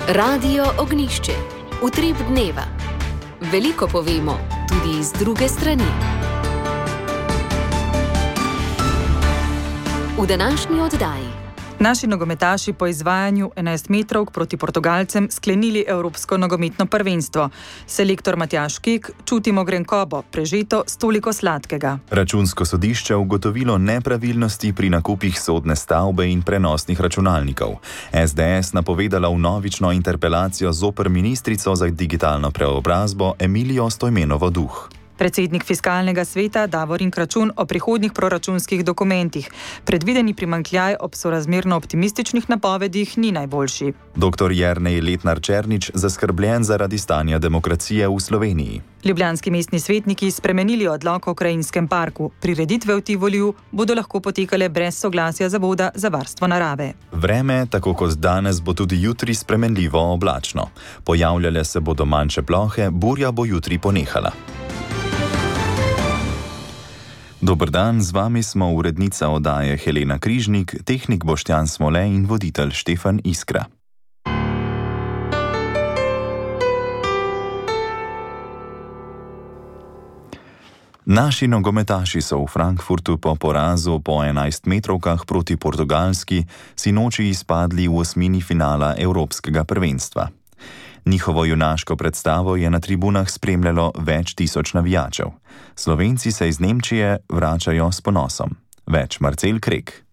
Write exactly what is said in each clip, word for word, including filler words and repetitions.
Radio Ognjišče. Utrip dneva. Veliko povemo, tudi iz druge strani. V današnji oddaji. Naši nogometaši po izvajanju enajstmetrovk proti Portugalcem sklenili Evropsko nogometno prvenstvo. Selektor Matjaž Kek: čutimo grenkobo, prežeto s toliko sladkega. Računsko sodišče ugotovilo nepravilnosti pri nakupih sodne stavbe in prenosnih računalnikov. es de es napovedala vnovično interpelacijo zoper ministrico za digitalno preobrazbo Emilijo Stojmenovo Duh. Predsednik fiskalnega sveta Davorin Kračun o prihodnjih proračunskih dokumentih. Predvideni primanjkljaj ob sorazmerno optimističnih napovedih ni najboljši. Doktor Jernej Letnar Černič zaskrbljen zaradi stanja demokracije v Sloveniji. Ljubljanski mestni svetniki spremenili odlok o krajinskem parku. Prireditve v Tivoliju bodo lahko potekale brez soglasja Zavoda za varstvo narave. Vreme, tako kot danes, bo tudi jutri spremenljivo oblačno. Pojavljale se bodo manjše plohe, burja bo jutri ponehala. Dober dan, z vami smo urednica oddaje Helena Križnik, tehnik Boštjan Smole in voditelj Štefan Iskra. Naši nogometaši so v Frankfurtu po porazu po enajstmetrovkah proti Portugalski sinoči izpadli v osmini finala Evropskega prvenstva. Njihovo junaško predstavo je na tribunah spremljalo več tisoč navijačev. Slovenci se iz Nemčije vračajo s ponosom. Več Marcel Krek.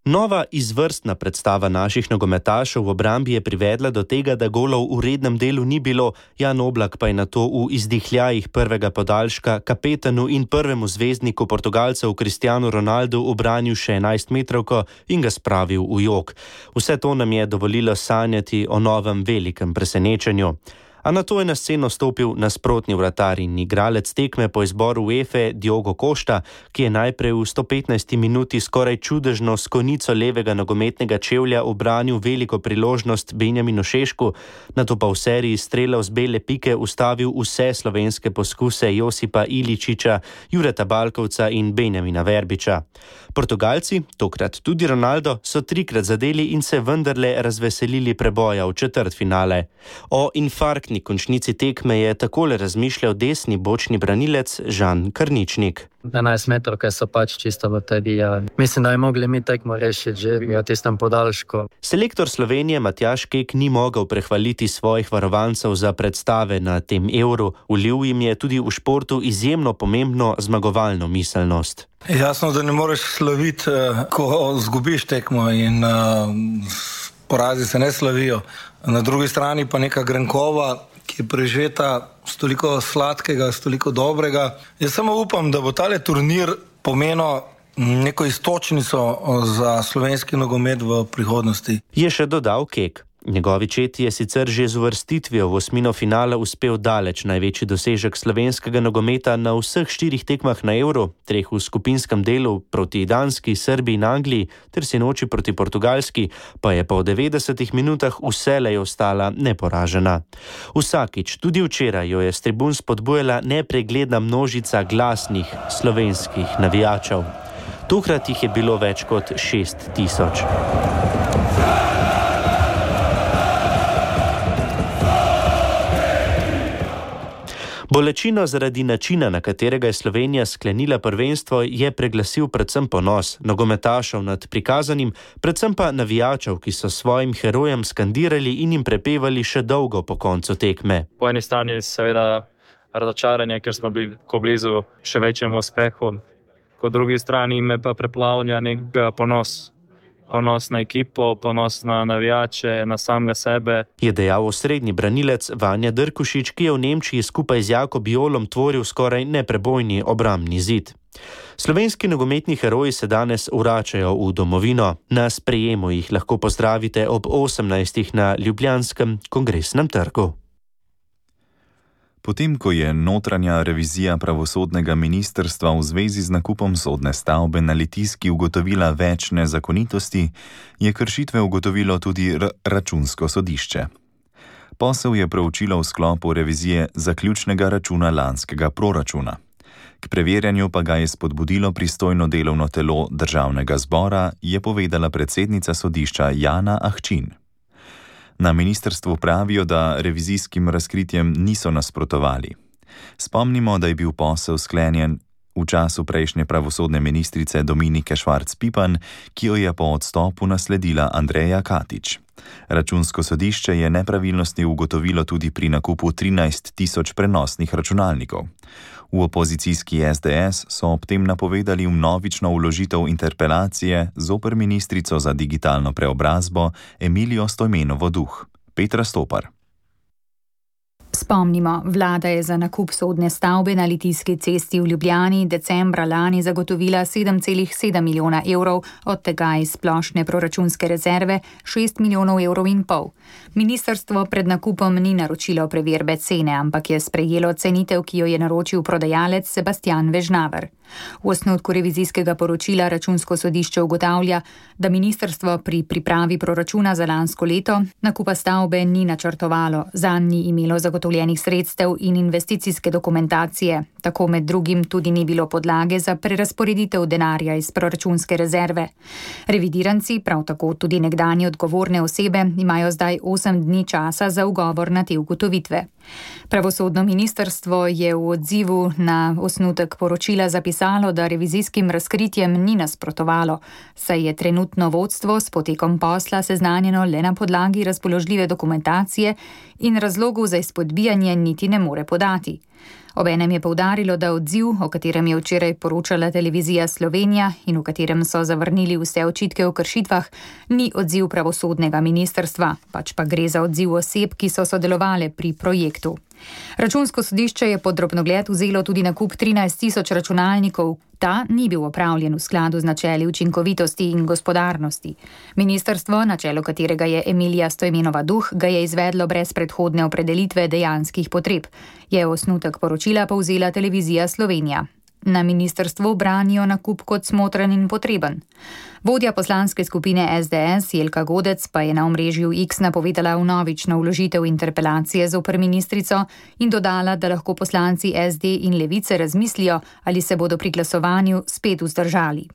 Nova izvrstna predstava naših nogometašev v obrambi je privedla do tega, da golov v rednem delu ni bilo, Jan Oblak pa je nato v izdihljajih prvega podaljška kapetanu in prvemu zvezdniku Portugalcev Cristiano Ronaldu ubranil še enajstmetrovko in ga spravil v jok. Vse to nam je dovolilo sanjati o novem velikem presenečenju. A nato je na sceno stopil nasprotni vratar in igralec tekme po izboru UEFA Diogo Costa, ki je najprej v sto petnajsti minuti skoraj čudežno s konico levega nogometnega čevlja ubranil veliko priložnost Benjaminu Šešku, nato pa v seriji strelov z bele pike ustavil vse slovenske poskuse Josipa Iličiča, Jureta Balkovca in Benjamina Verbiča. Portugalci, tokrat tudi Ronaldo, so trikrat zadeli in se vendarle razveselili preboja v četrtfinale. O infarktni končnici tekme je takole razmišljal desni bočni branilec Žan Karničnik. enajstmetrovke so pač čisto baterija. Mislim, da je mogli mi tekmo rešiti že v tistem podaljšku. Selektor Slovenije Matjaž Kek ni mogel prehvaliti svojih varovancev za predstave na tem Euru. Vlil jim je tudi v športu izjemno pomembno zmagovalno miselnost. Jasno, da ne moreš slaviti, ko zgubiš tekmo in uh, porazi se ne slavijo. Na drugi strani pa neka grenkova, ki je prežeta s toliko sladkega, s toliko dobrega. Jaz samo upam, da bo tale turnir pomenil neko istočnico za slovenski nogomet v prihodnosti. Je še dodal Kek. Njegovi četi je sicer že z uvrstitvijo v osmino finala uspel daleč največji dosežek slovenskega nogometa na vseh štirih tekmah na Euro, treh v skupinskem delu proti Danski, Srbiji in Angliji ter sinoči proti Portugalski, pa je po devetdesetih minutah vselej ostala neporažena. Vsakič, tudi včeraj, jo je s tribun spodbujala nepregledna množica glasnih slovenskih navijačev. Tokrat jih je bilo več kot šest tisoč. Bolečino zaradi načina, na katerega je Slovenija sklenila prvenstvo, je preglasil predvsem ponos nogometašev nad prikazanim, predvsem pa navijačev, ki so svojim herojem skandirali in jim prepevali še dolgo po koncu tekme. Po eni strani seveda razočaranje, ker smo bili ko blizu še večjemu uspehu, po drugi strani me pa preplavlja nek ponos. Ponos na ekipo, ponos na navijače, na samega sebe. Je dejal osrednji branilec Vanja Drkušič, ki je v Nemčiji skupaj z Jakob Jolom tvoril skoraj neprebojni obrambni zid. Slovenski nogometni heroji se danes vračajo v domovino. Na sprejemu jih lahko pozdravite ob osemnajstih na Ljubljanskem kongresnem trgu. Potem, ko je notranja revizija pravosodnega ministrstva v zvezi z nakupom sodne stavbe na Litijski ugotovila več nezakonitosti, je kršitve ugotovilo tudi r- računsko sodišče. Posel je proučilo v sklopu revizije zaključnega računa lanskega proračuna. K preverjanju pa ga je spodbudilo pristojno delovno telo Državnega zbora, je povedala predsednica sodišča Jana Ahčin. Na ministrstvu pravijo, da revizijskim razkritjem niso nasprotovali. Spomnimo, da je bil posel sklenjen v času prejšnje pravosodne ministrice Dominike Švarc-Pipan, ki jo je po odstopu nasledila Andreja Katič. Računsko sodišče je nepravilnosti ugotovilo tudi pri nakupu trinajst tisoč prenosnih računalnikov. V opozicijski es de es so ob tem napovedali vnovično vložitev interpelacije zoper ministrico za digitalno preobrazbo Emilijo Stojmenovo Duh. Petra Stopar. Spomnimo, vlada je za nakup sodne stavbe na Litijski cesti v Ljubljani decembra lani zagotovila sedem celih sedem milijona evrov, od tega iz splošne proračunske rezerve šest milijonov evrov in pol. Ministrstvo pred nakupom ni naročilo preverbe cene, ampak je sprejelo cenitev, ki jo je naročil prodajalec Sebastian Vežnaver. V osnutku revizijskega poročila Računsko sodišče ugotavlja, da ministrstvo pri pripravi proračuna za lansko leto nakupa stavbe ni načrtovalo, zanj ni imelo zagotovljenih sredstev in investicijske dokumentacije, tako med drugim tudi ni bilo podlage za prerazporeditev denarja iz proračunske rezerve. Revidiranci, prav tako tudi nekdanje odgovorne osebe, imajo zdaj osem dni časa za ugovor na te ugotovitve. Pravosodno ministrstvo je v odzivu na osnutek poročila zapisalo, da revizijskim razkritjem ni nasprotovalo, saj je trenutno vodstvo s potekom posla seznanjeno le na podlagi razpoložljive dokumentacije in razlogov za izpodbijanje niti ne more podati. Obenem je poudarilo, da odziv, o katerem je včeraj poročala televizija Slovenija in v katerem so zavrnili vse očitke o kršitvah, ni odziv pravosodnega ministrstva, pač pa gre za odziv oseb, ki so sodelovale pri projektu. Računsko sodišče je pod drobnogled vzelo tudi nakup trinajst tisoč računalnikov. Ta ni bil opravljen v skladu z načeli učinkovitosti in gospodarnosti. Ministrstvo, na čelu katerega je Emilija Stojmenova Duh, ga je izvedlo brez predhodne opredelitve dejanskih potreb, je osnutek poročila povzela televizija Slovenija. Na ministrstvu branijo nakup kot smotren in potreben. Vodja poslanske skupine es de es Jelka Godec pa je na omrežju X napovedala vnovično vložitev interpelacije zoper ministrico in dodala, da lahko poslanci es de in Levice razmislijo, ali se bodo pri glasovanju spet vzdržali.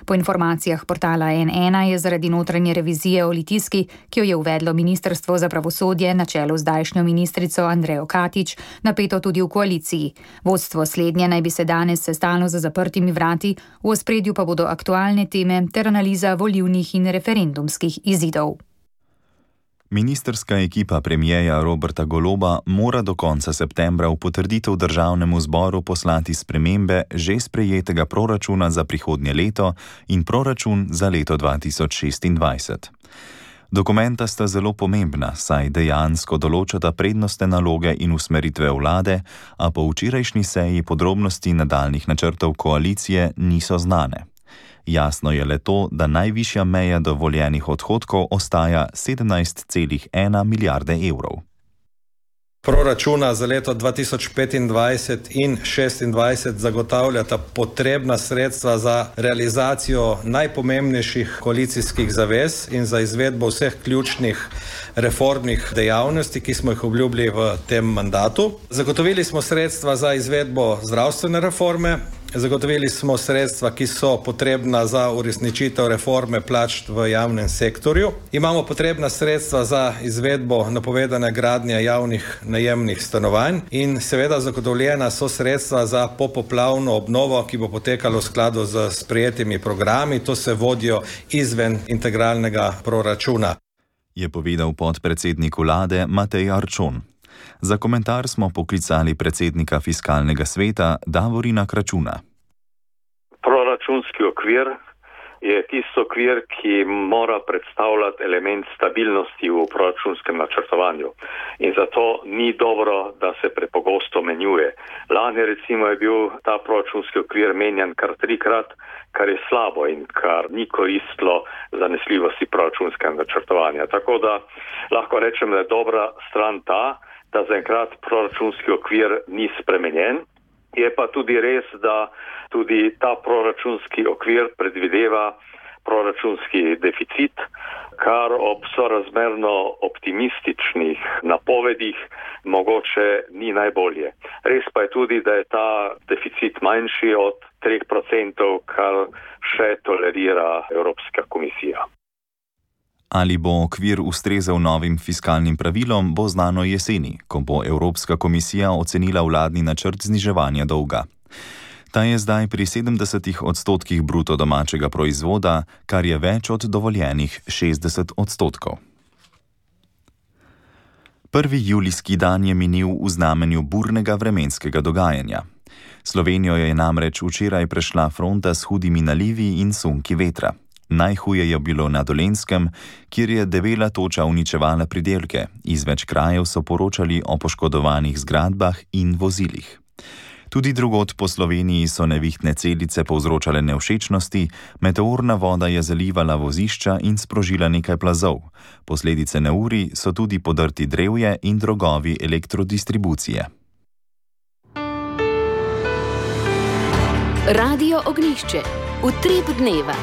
Po informacijah portala en ena je zaradi notranje revizije o Litijski, ki jo je uvedlo Ministrstvo za pravosodje na čelu z zdajšnjo ministrico Andrejo Katič, napeto tudi v koaliciji. Vodstvo slednje naj bi se danes sestalo za zaprtimi vrati, v ospredju pa bodo aktualne teme ter analiza volilnih in referendumskih izidov. Ministrska ekipa premijeja Roberta Goloba mora do konca septembra v potrditev državnemu zboru poslati spremembe že sprejetega proračuna za prihodnje leto in proračun za leto dva tisoč šestindvajset. Dokumenta sta zelo pomembna, saj dejansko določata prednostne naloge in usmeritve vlade, a po včerajšnji seji podrobnosti nadaljnih načrtov koalicije niso znane. Jasno je le to, da najvišja meja dovoljenih odhodkov ostaja sedemnajst celih ena milijarde evrov. Proračuna za leto dva tisoč petindvajset in šestindvajset zagotavljata potrebna sredstva za realizacijo najpomembnejših koalicijskih zavez in za izvedbo vseh ključnih reformnih dejavnosti, ki smo jih obljubili v tem mandatu. Zagotovili smo sredstva za izvedbo zdravstvene reforme, zagotovili smo sredstva, ki so potrebna za uresničitev reforme plač v javnem sektorju. Imamo potrebna sredstva za izvedbo napovedane gradnje javnih najemnih stanovanj in seveda zagotovljena so sredstva za popoplavno obnovo, ki bo potekalo v skladu z sprejetimi programi. To se vodijo izven integralnega proračuna. Je povedal podpredsednik vlade Matej Arčon. Za komentar smo poklicali predsednika fiskalnega sveta Davorina Kračuna. Proračunski okvir je tisto okvir, ki mora predstavljati element stabilnosti v proračunskem načrtovanju. In zato ni dobro, da se prepogosto menjuje. Lani recimo je bil ta proračunski okvir menjan kar trikrat, kar je slabo in kar ni koristilo zanesljivosti proračunskega načrtovanja. Tako da lahko rečem, da je dobra stran ta, da zaenkrat proračunski okvir ni spremenjen. Je pa tudi res, da tudi ta proračunski okvir predvideva proračunski deficit, kar ob sorazmerno optimističnih napovedih mogoče ni najbolje. Res pa je tudi, da je ta deficit manjši od treh procentov, kar še tolerira Evropska komisija. Ali bo okvir ustrezal novim fiskalnim pravilom, bo znano jeseni, ko bo Evropska komisija ocenila vladni načrt zniževanja dolga. Ta je zdaj pri sedemdesetih odstotkih bruto domačega proizvoda, kar je več od dovoljenih šestdeset odstotkov. Prvi julijski dan je minil v znamenju burnega vremenskega dogajanja. Slovenijo je namreč včeraj prešla fronta s hudimi nalivi in sunki vetra. Najhuje je bilo na Dolenjskem, kjer je debela toča uničevala pridelke. Iz več krajev so poročali o poškodovanih zgradbah in vozilih. Tudi drugod po Sloveniji so nevihtne celice povzročale nevšečnosti, meteorna voda je zalivala vozišča in sprožila nekaj plazov. Posledice neurij so tudi podrti drevje in drogovi elektrodistribucije. Radio Ognjišče. Utrip dneva.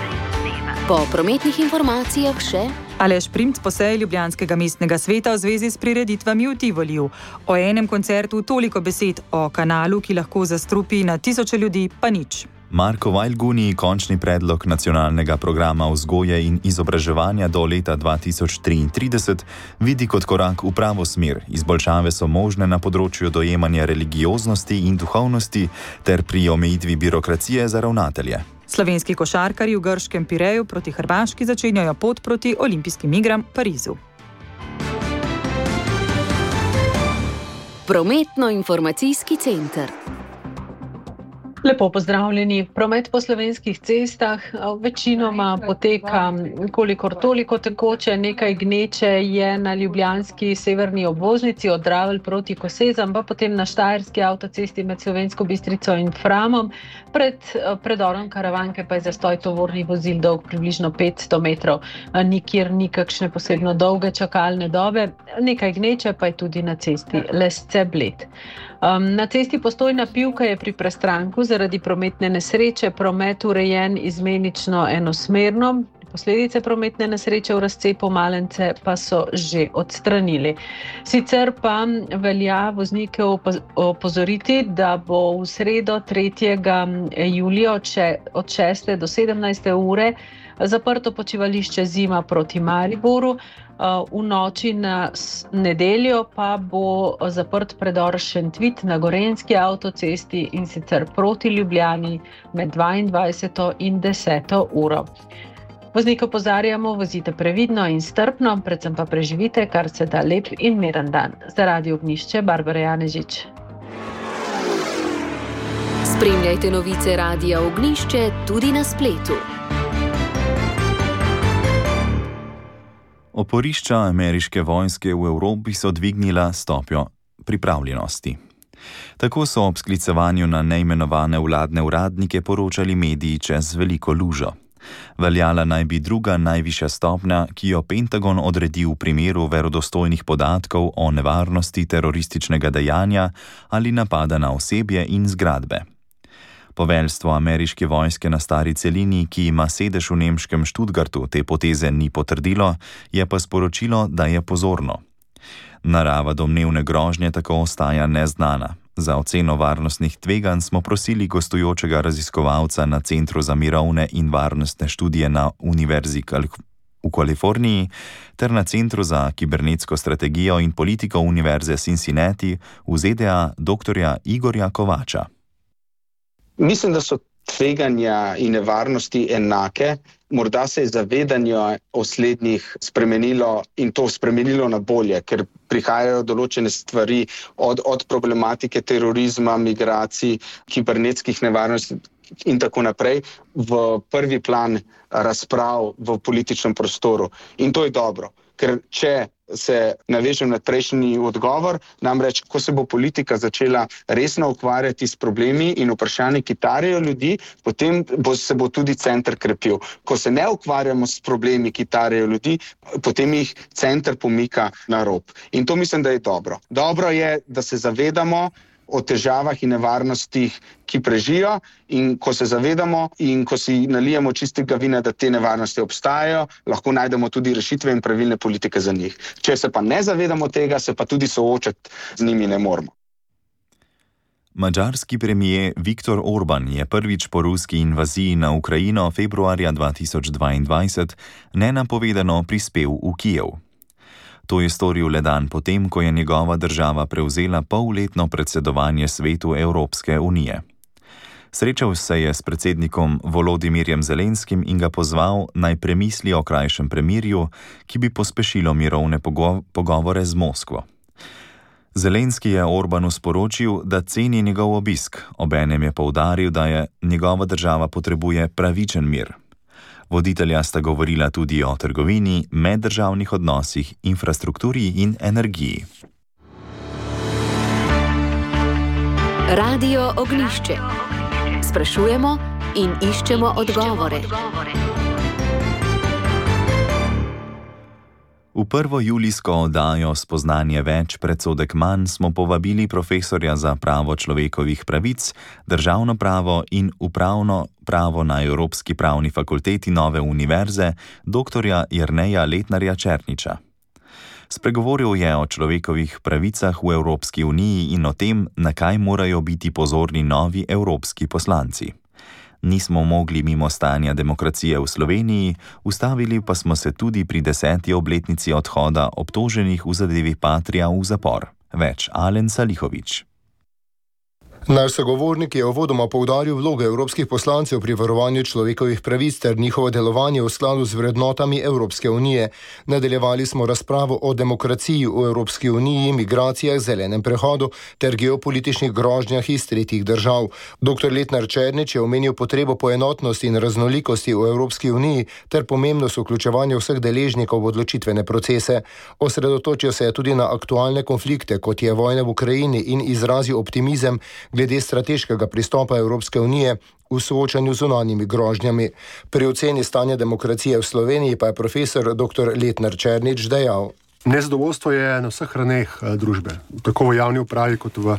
Po prometnih informacijah še Aleš Primc po seji Ljubljanskega mestnega sveta v zvezi s prireditvami v Tivoliju. O enem koncertu toliko besed, o kanalu, ki lahko zastrupi na tisoče ljudi, pa nič. Marko Vajlguni končni predlog nacionalnega programa vzgoje in izobraževanja do leta dva tisoč triintrideset vidi kot korak v pravo smer. Izboljšave so možne na področju dojemanja religioznosti in duhovnosti ter pri omejitvi birokracije za ravnatelje. Slovenski košarkarji v grškem Pireju proti Hrvaški začenjajo pot proti olimpijskim igram v Parizu. Prometno-informacijski center. Lepo pozdravljeni. Promet po slovenskih cestah večinoma poteka kolikor toliko tekoče, nekaj gneče je na ljubljanski severni obvoznici od Dravelj proti Kosezam, pa potem na štajerski avtocesti med Slovensko Bistrico in Framom. Pred predorom Karavanke pa je zastoj tovornih vozil dolg približno petsto metrov. Nikjer ni kakšne posebno dolge čakalne dobe, nekaj gneče pa je tudi na cesti Lesce-Bled. Um, na cesti Postojna Pivka je pri prestranku zaradi prometne nesreče promet urejen izmenično enosmerno. Posledice prometne nesreče v razcepu Malence pa so že odstranili. Sicer pa velja voznike opozoriti, da bo v sredo tretjega julija od šeste do sedemnajste ure zaprto počivališče Zima proti Mariboru. V noči na nedeljo pa bo zaprt predor Šentvit na Gorenjski avtocesti in sicer proti Ljubljani med dvaindvajseto in deseto uro. Voznike opozarjamo, vozite previdno in strpno, predvsem pa preživite kar se da lep in miren dan. Za Radio Ognjišče, Barbara Janežič. Spremljajte novice Radia Ognjišče tudi na spletu. Oporišča ameriške vojske v Evropi so dvignila stopnjo pripravljenosti. Tako so ob sklicevanju na neimenovane vladne uradnike poročali mediji čez veliko lužo. Veljala naj bi druga najvišja stopnja, ki jo Pentagon odredi v primeru verodostojnih podatkov o nevarnosti terorističnega dejanja ali napada na osebje in zgradbe. Poveljstvo ameriške vojske na stari celini, ki ima sedež v nemškem Stuttgartu, te poteze ni potrdilo, je pa sporočilo, da je pozorno. Narava domnevne grožnje tako ostaja neznana. Za oceno varnostnih tveganj smo prosili gostujočega raziskovalca na Centru za mirovne in varnostne študije na Univerzi v Kaliforniji ter na Centru za kibernetsko strategijo in politiko Univerze Cincinnati v Z D A doktorja Igorja Kovača. Mislim, da so tveganja in nevarnosti enake. Morda se je zavedanje o slednjih spremenilo in to spremenilo na bolje, ker prihajajo določene stvari od, od problematike terorizma, migracij, kibernetskih nevarnosti in tako naprej v prvi plan razprav v političnem prostoru. In to je dobro, ker če se navežem na prejšnji odgovor, namreč, ko se bo politika začela resno ukvarjati s problemi in vprašanji, ki tarejo ljudi, potem bo, se bo tudi center krepil. Ko se ne ukvarjamo s problemi, ki tarejo ljudi, potem jih center pomika na rob. In to mislim, da je dobro. Dobro je, da se zavedamo o težavah in nevarnostih, ki prežijo, in ko se zavedamo in ko si nalijemo čistega vina, da te nevarnosti obstajajo, lahko najdemo tudi rešitve in pravilne politike za njih. Če se pa ne zavedamo tega, se pa tudi soočati z njimi ne moremo. Madžarski premijer Viktor Orban je prvič po ruski invaziji na Ukrajino februarja dva tisoč dvaindvajset nenapovedano prispel v Kijev. To je storil le dan potem, ko je njegova država prevzela polletno predsedovanje svetu Evropske unije. Srečal se je s predsednikom Volodimirjem Zelenskim in ga pozval, naj premisli o krajšem premirju, ki bi pospešilo mirovne pogo- pogovore z Moskvo. Zelenski je Orbanu sporočil, da ceni njegov obisk, obenem je poudaril, da je njegova država potrebuje pravičen mir. Voditelja sta govorila tudi o trgovini, meddržavnih odnosih, infrastrukturi in energiji. Radio Ognjišče. Sprašujemo in iščemo odgovore. V prvo julijsko oddajo Spoznanje več, predsodek manj smo povabili profesorja za pravo človekovih pravic, državno pravo in upravno pravo na Evropski pravni fakulteti Nove univerze, doktorja Jerneja Letnarja Černiča. Spregovoril je o človekovih pravicah v Evropski uniji in o tem, na kaj morajo biti pozorni novi evropski poslanci. Nismo mogli mimo stanja demokracije v Sloveniji, ustavili pa smo se tudi pri deseti obletnici odhoda obtoženih v zadevi Patria v zapor. Več Alen Salihović. Naš sogovornik je uvodoma poudaril vlogo evropskih poslancev pri varovanju človekovih pravic ter njihovo delovanje v skladu z vrednotami Evropske unije. Nadaljevali smo razpravo o demokraciji v Evropski uniji, migracijah, zelenem prehodu ter geopolitičnih grožnjah iz tretjih držav. doktor Letnar Černič je omenil potrebo po enotnosti in raznolikosti v Evropski uniji ter pomembnost vključevanja vseh deležnikov v odločitvene procese. Osredotočil se je tudi na aktualne konflikte, kot je vojna v Ukrajini, in izrazil optimizem glede strateškega pristopa Evropske unije v soočanju z zunanjimi grožnjami. Pri oceni stanja demokracije v Sloveniji pa je profesor doktor Letnar Černič dejal: Nezadovoljstvo je na vseh raneh družbe, tako v javni upravi kot v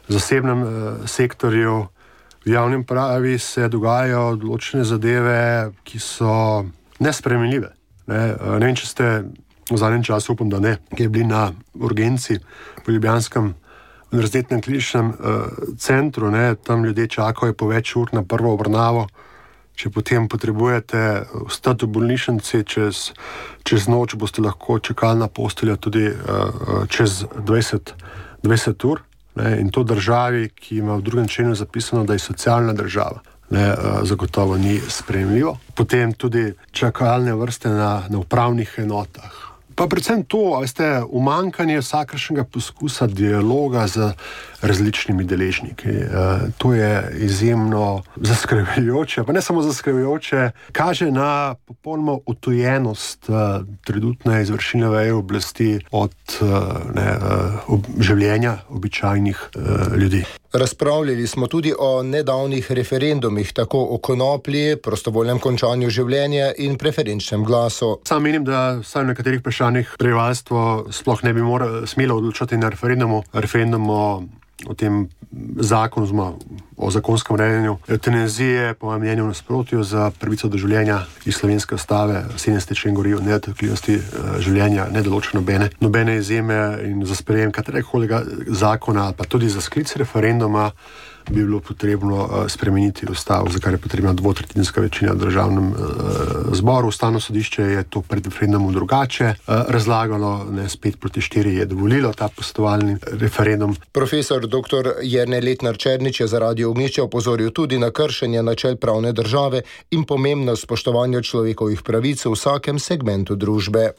zasebnem sektorju. V javni upravi se dogajajo določene zadeve, ki so nesprejemljive. Ne, ne vem, če ste v zadnjem času, upam, da ne, ki je bili na urgenci v ljubljanskem univerzitetnem kliničnem uh, centru, ne, tam ljudje čakajo po več ur na prvo obravnavo. Če potem potrebujete ostati v bolnišnici čez, čez noč, boste lahko čakali na posteljo tudi uh, čez dvajset ur. Ne, in to državi, ki ima v drugem členu zapisano, da je socialna država, ne, uh, zagotovo ni sprejemljivo. Potem tudi čakalne vrste na, na upravnih enotah. Pa predvsem to, veste, umanjkanje vsakršnega poskusa dialoga z različnimi deležniki. E, to je izjemno zaskrbljujoče, pa ne samo zaskrbljujoče, kaže na popolnoma utujenost uh, trenutne izvršilne veje oblasti od uh, ne, uh, ob, življenja običajnih uh, ljudi. Razpravljali smo tudi o nedavnih referendumih, tako o konoplji, prostovoljnem končanju življenja in preferenčnem glasu. Sam menim, da vsaj v nekaterih vprašanjih prebivalstvo sploh ne bi moralo smelo odločati na referendumu. Referendum o, o tem zakonu, o zakonskem urejanju evtanazije, po mojem mnenju, v nasprotju za pravico do življenja iz slovenske ustave, sedemdeseti člen govori o nedotakljivosti življenja, ne določa nobene, nobene izjeme, in za sprejem katerekoli zakona, pa tudi za sklic referenduma bi bilo potrebno uh, spremeniti ustavo, za kar je potrebna dvotretjinska večina v državnem uh, zboru. Ustavno sodišče je to pred referendumom drugače uh, razlagalo, ne, spet proti štiri je dovolilo ta posvetovalni referendum. Profesor doktor Jernej Letnar Černič je za Radio Ognjišče opozoril tudi na kršenje načel pravne države in pomembnost spoštovanja človekovih pravic v vsakem segmentu družbe.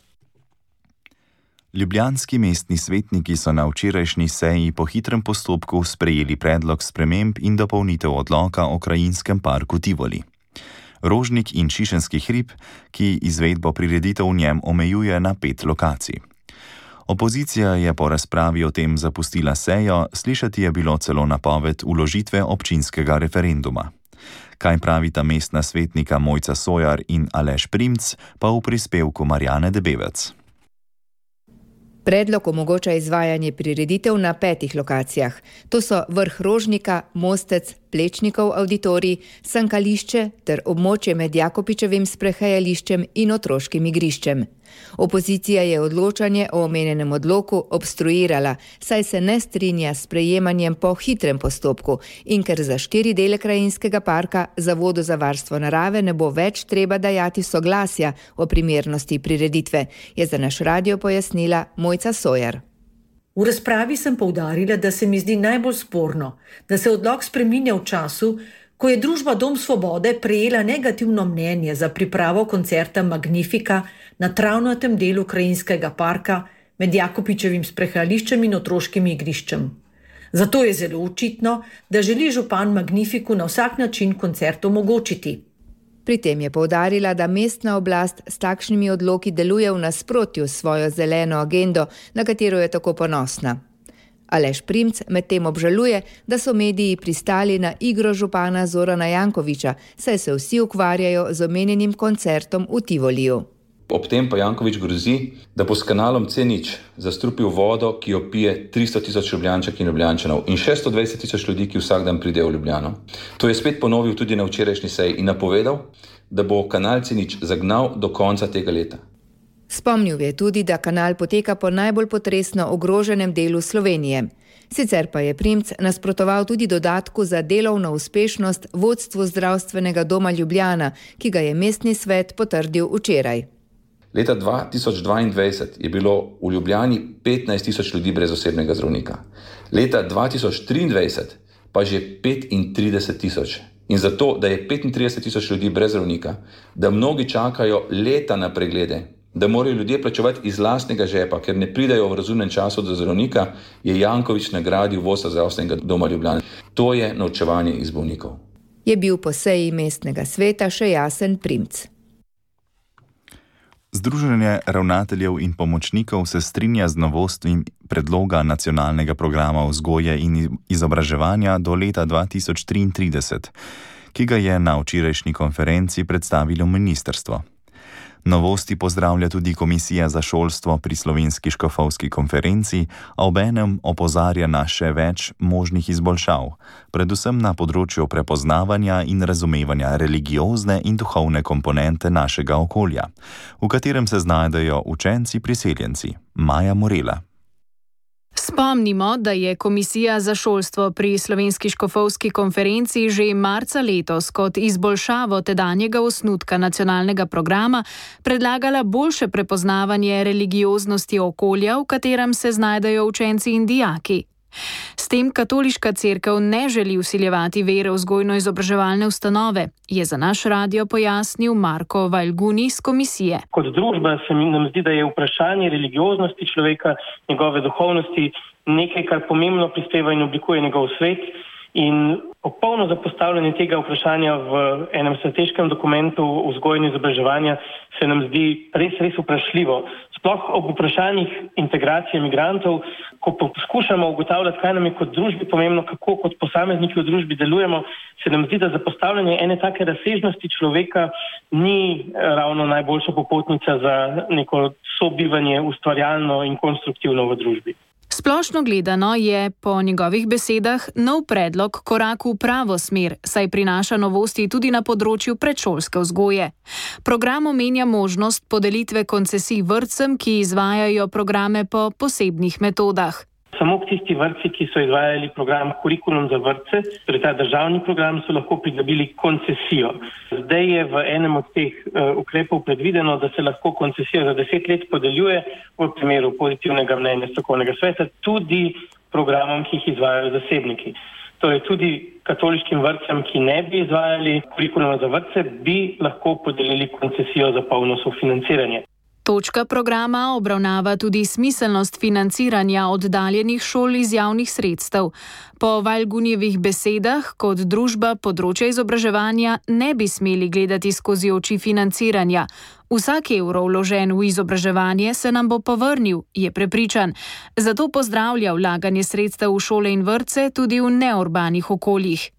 Ljubljanski mestni svetniki so na včerajšnji seji po hitrem postopku sprejeli predlog sprememb in dopolnitev odloka o krajinskem parku Tivoli. Rožnik in Šišenski hrib, ki izvedbo prireditev v njem omejuje na pet lokacij. Opozicija je po razpravi o tem zapustila sejo, slišati je bilo celo napoved vložitve občinskega referenduma. Kaj pravita mestna svetnika Mojca Sojar in Aleš Primc, pa v prispevku Marjane Debevec. Predlog omogoča izvajanje prireditev na petih lokacijah. To so vrh Rožnika, Mostec, Plečnikov avditorij, Sankališče ter območje med Jakopičevim sprehajališčem in otroškim igriščem. Opozicija je odločanje o omenjenem odloku obstruirala, saj se ne strinja s sprejemanjem po hitrem postopku in ker za štiri dele krajinskega parka Zavodu za varstvo narave ne bo več treba dajati soglasja o primernosti prireditve, je za naš radio pojasnila Mojca Sojer. V razpravi sem poudarila, da se mi zdi najbolj sporno, da se odlok spreminja v času, ko je družba Dom Svobode prejela negativno mnenje za pripravo koncerta Magnifika na travnatem delu krajinskega parka med Jakopičevim sprehajališčem in otroškim igriščem. Zato je zelo očitno, da želi župan Magnifiku na vsak način koncert omogočiti. Pri tem je poudarila, da mestna oblast s takšnimi odloki deluje v nasprotju s svojo zeleno agendo, na katero je tako ponosna. Aleš Primc medtem obžaluje, da so mediji pristali na igro župana Zorana Jankovića, saj se vsi ukvarjajo z omenjenim koncertom v Tivoliju. Ob tem pa Janković grozi, da bo s kanalom C nič zastrupil vodo, ki jo pije tristo tisoč Ljubljančank in Ljubljančanov in šeststo dvajset tisoč ljudi, ki vsak dan pridejo v Ljubljano. To je spet ponovil tudi na včerajšnji seji in napovedal, da bo kanal C nič zagnal do konca tega leta. Spomnil je tudi, da kanal poteka po najbolj potresno ogroženem delu Slovenije. Sicer pa je Primc nasprotoval tudi dodatku za delovno uspešnost vodstvu zdravstvenega doma Ljubljana, ki ga je mestni svet potrdil včeraj. Leta dva tisoč dvaindvajset je bilo v Ljubljani petnajst tisoč ljudi brez osebnega zdravnika. Leta dva tisoč triindvajset pa že petintrideset tisoč. In zato, da je petintrideset tisoč ljudi brez zdravnika, da mnogi čakajo leta na preglede, da morajo ljudje plačevati iz lastnega žepa, ker ne pridajo v razumnem času do zdravnika, je Janković nagradil vodstvo zdravstvenega doma Ljubljana. To je norčevanje iz bolnikov. Je bil po seji mestnega sveta še jasen Primc. Združenje ravnateljev in pomočnikov se strinja z novostmi predloga nacionalnega programa vzgoje in izobraževanja do leta dva tisoč triintrideset, ki ga je na včerajšnji konferenci predstavilo ministrstvo. Novosti pozdravlja tudi Komisija za šolstvo pri Slovenski škofovski konferenci, a obenem opozarja na še več možnih izboljšav, predvsem na področju prepoznavanja in razumevanja religiozne in duhovne komponente našega okolja, v katerem se znajdejo učenci priseljenci. Maja Morela. Spomnimo, da je Komisija za šolstvo pri Slovenski škofovski konferenci že marca letos kot izboljšavo tedanjega osnutka nacionalnega programa predlagala boljše prepoznavanje religioznosti okolja, v katerem se znajdejo učenci in dijaki. S tem katoliška cerkev ne želi vsiljevati vere v vzgojno-izobraževalne ustanove, je za naš radio pojasnil Marko Valguni z komisije. Kot družba se mi nam zdi, da je vprašanje religioznosti človeka, njegove duhovnosti, nekaj, kar pomembno prispeva in oblikuje njegov svet. In popolno zapostavljanje tega vprašanja v enem strateškem dokumentu vzgoje in izobraževanja se nam zdi res, res vprašljivo. Sploh ob vprašanjih integracije migrantov, ko poskušamo ugotavljati, kaj nam je kot družbi pomembno, kako kot posamezniki v družbi delujemo, se nam zdi, da zapostavljanje ene take razsežnosti človeka ni ravno najboljša popotnica za neko sobivanje ustvarjalno in konstruktivno v družbi. Splošno gledano je po njegovih besedah nov predlog korak v pravo smer, saj prinaša novosti tudi na področju predšolske vzgoje. Program omenja možnost podelitve koncesij vrtcem, ki izvajajo programe po posebnih metodah. Samo tisti vrtci, ki so izvajali program Kurikulum za vrtce, torej ta državni program, so lahko pridobili koncesijo. Zdaj je v enem od teh uh, ukrepov predvideno, da se lahko koncesija za deset let podeljuje v primeru pozitivnega mnenja strokovnega sveta tudi programom, ki jih izvajajo zasebniki. Torej tudi katoliškim vrtcem, ki ne bi izvajali Kurikuluma za vrtce, bi lahko podelili koncesijo za polno sofinanciranje. Točka programa obravnava tudi smiselnost financiranja oddaljenih šol iz javnih sredstev. Po Valgunjevih besedah, kot družba področja izobraževanja ne bi smeli gledati skozi oči financiranja. Vsak evro vložen v izobraževanje se nam bo povrnil, je prepričan. Zato pozdravlja vlaganje sredstev v šole in vrtce tudi v neurbanih okoljih.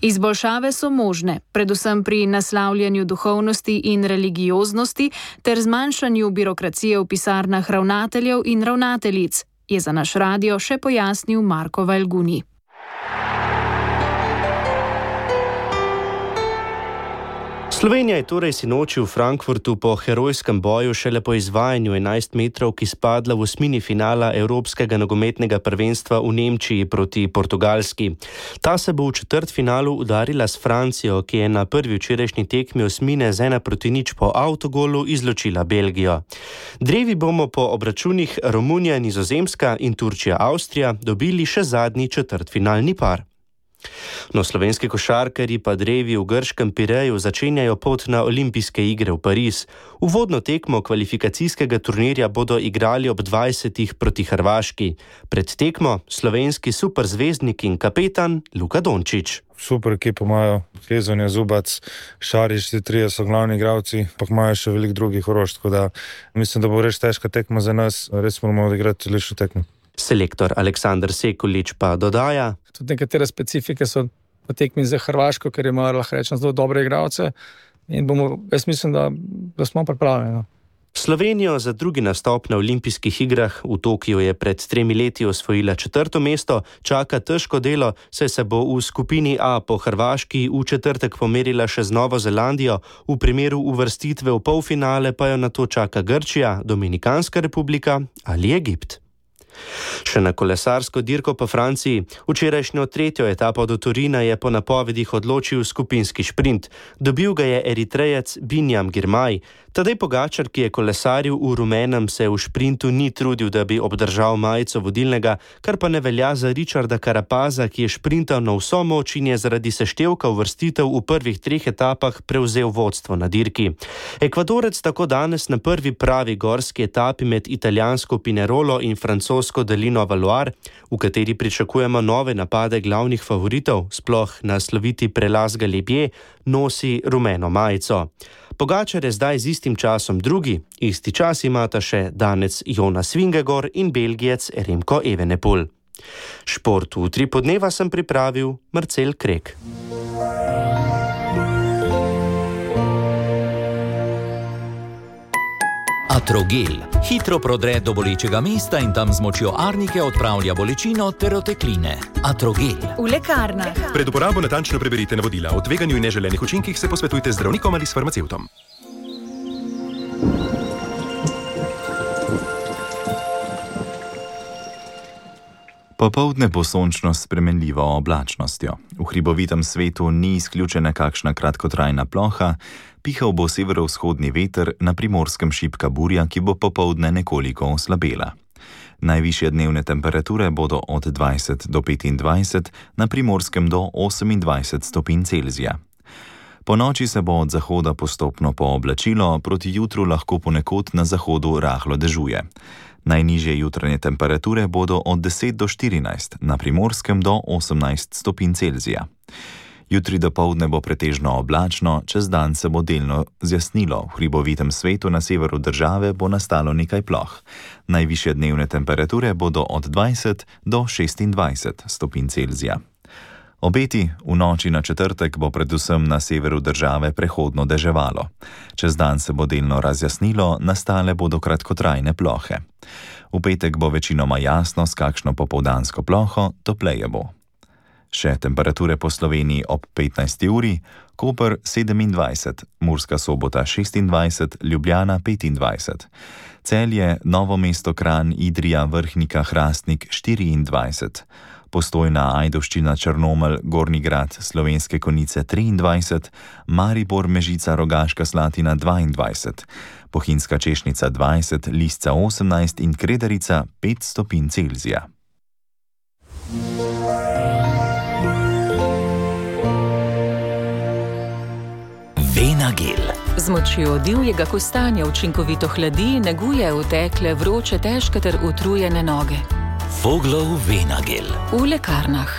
Izboljšave so možne, predvsem pri naslavljanju duhovnosti in religioznosti ter zmanjšanju birokracije v pisarnah ravnateljev in ravnateljic, je za naš radio še pojasnil Marko Valguni. Slovenija je torej sinoči v Frankfurtu po herojskem boju šele po izvajanju enajst metrovk izpadla v osmini finala Evropskega nogometnega prvenstva v Nemčiji proti Portugalski. Ta se bo v četrtfinalu udarila s Francijo, ki je na prvi včerajšnji tekmi osmine z ena proti nič po avtogolu izločila Belgijo. Drevi bomo po obračunih Romunija, Nizozemska in Turčija, Avstrija dobili še zadnji četrtfinalni par. No, slovenski košarkarji pa drevi v grškem Pireju začenjajo pot na olimpijske igre v Pariz. Uvodno tekmo kvalifikacijskega turnirja bodo igrali ob dvajsetih proti Hrvaški. Pred tekmo slovenski superzvezdnik in kapetan Luka Dončić. Super ekipo imajo, Hezonja, Zubac, Šarić, ti trije so glavni igralci, pa imajo še veliko drugih orož, tako da mislim, da bo res težka tekma za nas, res moramo odigrati lično tekmo. Selektor Aleksandar Sekulič pa dodaja: Tudi nekatere specifike so v tekmi za Hrvaško, ker imajo, lahko rečem, zelo dobre igralce in bomo, jaz mislim, da, da smo pripravljeni. No. Slovenijo za drugi nastop na olimpijskih igrah v Tokiu je pred tremi leti osvojila četrto mesto, čaka težko delo, saj se bo v skupini A po Hrvaški v četrtek pomerila še z Novo Zelandijo, v primeru uvrstitve v polfinale pa jo nato čaka Grčija, Dominikanska republika ali Egipt. Še na kolesarsko dirko po Franciji. Včerajšnjo tretjo etapo do Torina je po napovedih odločil skupinski šprint. Dobil ga je Eritrejec Binjam Girmay. Tadej Pogačar, ki je kolesaril v rumenem, se v šprintu ni trudil, da bi obdržal majico vodilnega, kar pa ne velja za Richarda Carapaza, ki je šprintal na vso moč in je zaradi seštevka uvrstitev v prvih treh etapah prevzel vodstvo na dirki. Ekvadorec tako danes na prvi pravi gorski etapi med italijansko Pinerolo in francosko Delino Valoir, v kateri pričakujemo nove napade glavnih favoritov, sploh na sloviti prelaz Galibier, nosi rumeno majico. Pogačar je zdaj z istim časom drugi, isti čas imata še danec Jonas Vingegaard in Belgijec Remko Evenepoel. Šport v tri podneva sem pripravil Marcel Krek. Atrogel hitro prodre do bolečega mesta in tam z močjo arnike odpravlja bolečino ter otekline. Atrogel. V lekarnah. Pred uporabo natančno preberite navodila. O tveganju in neželenih učinkih se posvetujte z zdravnikom ali s farmacevtom. Popoldne bo sončno s spremenljivo oblačnostjo. V hribovitem svetu ni izključena kakšna kratkotrajna ploha, pihal bo severovzhodni veter, na Primorskem šibka burja, ki bo popoldne nekoliko oslabela. Najvišje dnevne temperature bodo od dvajset do petindvajset, na Primorskem do osemindvajset stopinj Celzija. Po noči se bo od zahoda postopno pooblačilo, proti jutru lahko ponekod na zahodu rahlo dežuje. Najnižje jutranje temperature bodo od deset do štirinajst, na Primorskem do osemnajst stopinj Celzija. Jutri dopoldne bo pretežno oblačno, čez dan se bo delno zjasnilo. V hribovitem svetu na severu države bo nastalo nekaj ploh. Najvišje dnevne temperature bodo od dvajset do šestindvajset stopinj Celzija. Obeti: v noči na četrtek bo predvsem na severu države prehodno deževalo. Čez dan se bo delno razjasnilo, nastale bodo kratkotrajne plohe. V petek bo večinoma jasno, s kakšno popoldansko ploho, topleje bo. Še temperature po Sloveniji ob petnajsti uri: Koper sedemindvajset, Murska Sobota šestindvajset, Ljubljana petindvajset, Celje, Novo mesto, Kranj, Idrija, Vrhnika, Hrastnik štiriindvajset, Postojna, Ajdovščina, Črnomelj, Gornji Grad, Slovenske Konjice triindvajset, Maribor, Mežica, Rogaška Slatina dvaindvajset, Bohinjska Češnica dvajset, Lisca osemnajst in Kredarica pet stopinj Celzija. Venagel. Z močjo divjega kostanja učinkovito hladi, neguje utekle, vroče, težke ter utrujene noge. Voglov Venagel. V lekarnah.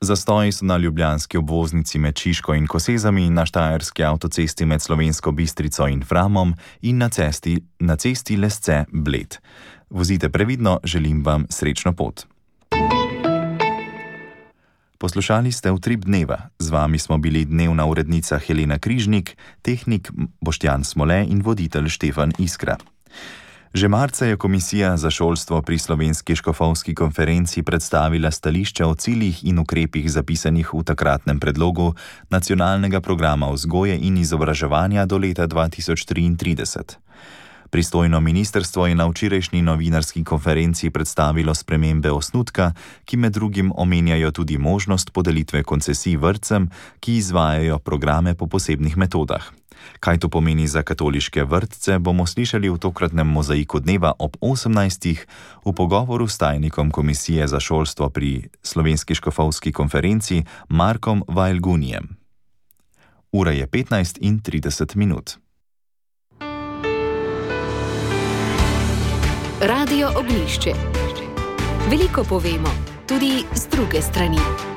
Zastoji so na ljubljanski obvoznici med Šiško in Kosezami, na štajerski avtocesti med Slovensko Bistrico in Framom in na cesti, na cesti Lesce-Bled. Vozite previdno, želim vam srečno pot. Poslušali ste Utrip dneva. Z vami smo bili dnevna urednica Helena Križnik, tehnik Boštjan Smole in voditelj Štefan Iskra. Že marca je Komisija za šolstvo pri Slovenski škofovski konferenci predstavila stališče o ciljih in ukrepih zapisanih v takratnem predlogu nacionalnega programa vzgoje in izobraževanja do leta dva tisoč triintrideset. Pristojno ministrstvo je na včerajšnji novinarski konferenci predstavilo spremembe osnutka, ki med drugim omenjajo tudi možnost podelitve koncesij vrtcem, ki izvajajo programe po posebnih metodah. Kaj to pomeni za katoliške vrtce, bomo slišali v tokratnem mozaiku dneva ob osemnajstih v pogovoru s tajnikom Komisije za šolstvo pri Slovenski škofovski konferenci Markom Vajlgunijem. Ura je petnajst in trideset minut. Radio Oglišče. Veliko povemo, tudi z druge strani.